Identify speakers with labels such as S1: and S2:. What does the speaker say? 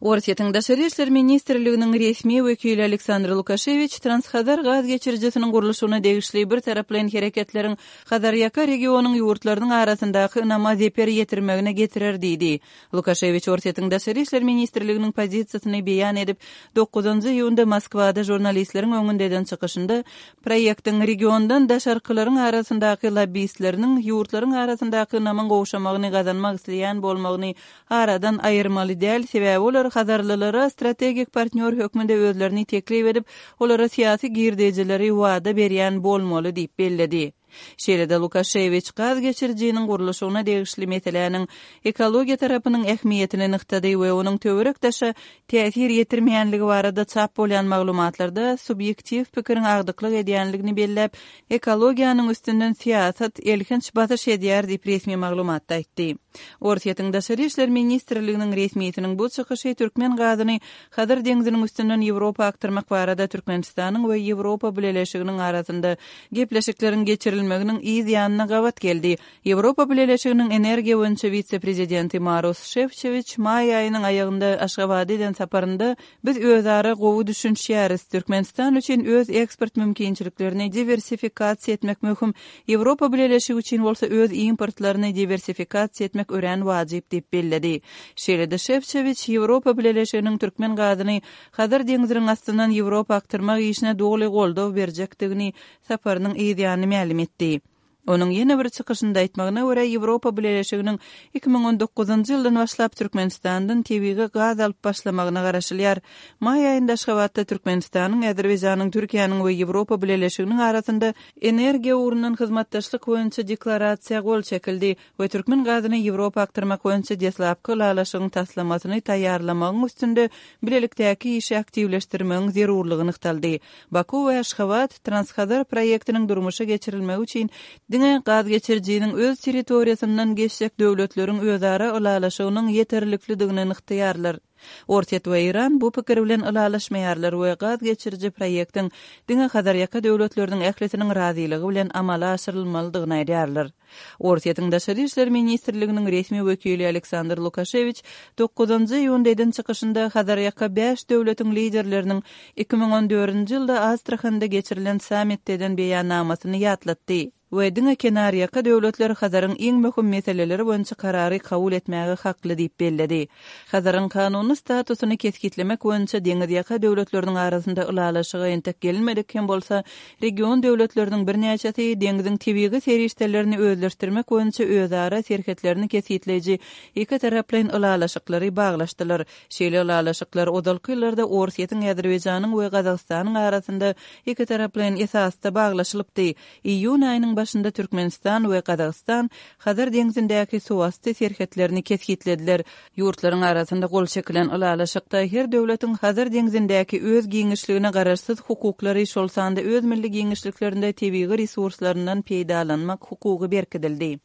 S1: Orsýetiň Daşary işler ministrliginiň resmi wekili Aleksandr Lukaşewiç Transhazar gaz geçirijisiniň gurluşygyna degişli birtaraplaýyn hereketleriň Hazarýaka regionyň ýurtlarynyň arasyndaky ynama zeper ýetirmegine getirer diýdi. Lukaşewiç Orsýetiň Daşary işler ministrliginiň pozisiýasyny beýan edip, dokuzynjy iýunda Moskwada žurnalistleriň öňünde eden çykyşynda proýektiň regiondan daşarkylaryň arasyndaky lobbistleriniň ýurtlaryň arasyndaky ynamyň gowşamagyny gazanmak isleýän bolmagyny aradan aýyrmaly däl, sebäbi olar hazarlylara strategik partnýor hökmünde özlerini teklip edip, olara syýasy girdejileri wada berýän bolmaly diýip belledi. Şeýle-de Lukaşewiç gaz geçirijiniň gurluşygyna degişli meseläniň ekologiýa tarapynyň ähmiýetini nygtady we onuň töwerek-daşa täsir ýetirmeýänligi barada çap bolýan maglumatlarda subýektiw pikiriň agdyklyk edýänligini belläp, ekologiýanyň üstünden syýasat elhenç basyş edýär diýip resmi maglumatda aýtdy. Orsýetiň Daşary işler ministrliginiň resmisiniň bu çykyşy türkmen gazyny Hazar deňziniň üstünden Ýewropa akdyrmak barada Türkmenistanyň we Ýewropa Bileleşiginiň arasynda gepleşikleriň geçirilmeginiň yz ýanyna gabat geldi. Ýewropa Bileleşiginiň energiýa boýunça wise-prezidenti Maros Şefçewiç maý aýynyň aýagynda Aşgabada eden saparynda Biz özara gowy düşünişýäris. Türkmenistan üçin öz eksport mümkinçiliklerini diwersifikasiýa etmek möhüm, Ýewropa Bileleşigi üçin bolsa öz importlaryny diwersifikasiýa etmek örän wajyp diýip belledi. Şeýle-de Şefçewiç Ýewropa Bileleşiginiň türkmen gazyny Hazar deňziniň astyndan Ýewropa akdyrmak işine doly goldaw berjekdigini saparynyň yzýany mälim etdi. Onuň ýene bir çykyşynda aýtmagyna görä, Ýewropa Bileleşiginiň 2019-njy ýyldan başlap Türkmenistandan tebigy gaz alyp başlamagyna garaşylýar. Maý aýynda Aşgabatda Türkmenistanyň, Azerbaýjanyň, Türkiýäniň we Ýewropa Bileleşiginiň arasynda energiýa ugrundan hyzmatdaşlyk boýunça Deklarasiýa gol çekildi we türkmen gazyny Ýewropa akdyrmak boýunça deslapky ylalaşygyň taslamasyny taýýarlamagyň üstünde bilelikdäki işi aktiwleşdirmegiň zerurlygy nygtaldy. Baku we Aşgabat Transhazar proýektiniň durmuşa geçirilmegi üçin diňe gazgeçirijiniň öz territoriýasyndan geçjek döwletleriň özara ylalaşygynyň ýeterliklidigini nygtaýarlar. Orsýet we Eýran bu pikir bilen ylalaşmaýarlar we gaz geçiriji proýektiň diňe Hazarýaka döwletleriniň ählisiniň razylygy bilen amala aşyrylmalydygyny aýdýarlar. Orsýetiň Daşary işler ministrliginiň resmi wekili Aleksandr Lukaşewiç dokuzynjy iýunda eden çykyşynda Hazarýaka bäş döwletiň liderleriniň 2014-nji ýylda Astrahanda geçirilen sammitde eden beýannamasyny ýatlatdy. We diňe kenarýaka döwletler Hazaryň iň möhüm meseleleri boýunça karary kabul etmäge hakly diýip belledi. Hazaryň kanuny statusyny kesgitlemek boýunça deňizýaka döwletleriniň arasynda ylalaşyga entek gelinmedik hem bolsa, region döwletleriniň birnäçesi deňziň tebigy serişdelerini özleşdirmek boýunça özara serhetlerini kesgitleýji ikitaraplaýyn ylalaşyklary baglaşdylar. Şeýle ylalaşyklar ozalky ýyllarda Orsýetiň, Azerbaýjanyň we Gazagystanyň arasynda ikitaraplaýyn esasda baglaşylypdy. Iýun aýynyň başynda Türkmenistan we Gazagystan Hazar deňzindäki suwasty serhetlerini kesgitlediler. Ýurtlaryň arasynda gol çekilen ylalaşykda her döwletiň Hazar deňzindäki öz giňişligine garaşsyz hukuklary, şol sanda öz milli giňişliklerinde tebigy resurslaryndan peýdalanmak hukugy berkidildi.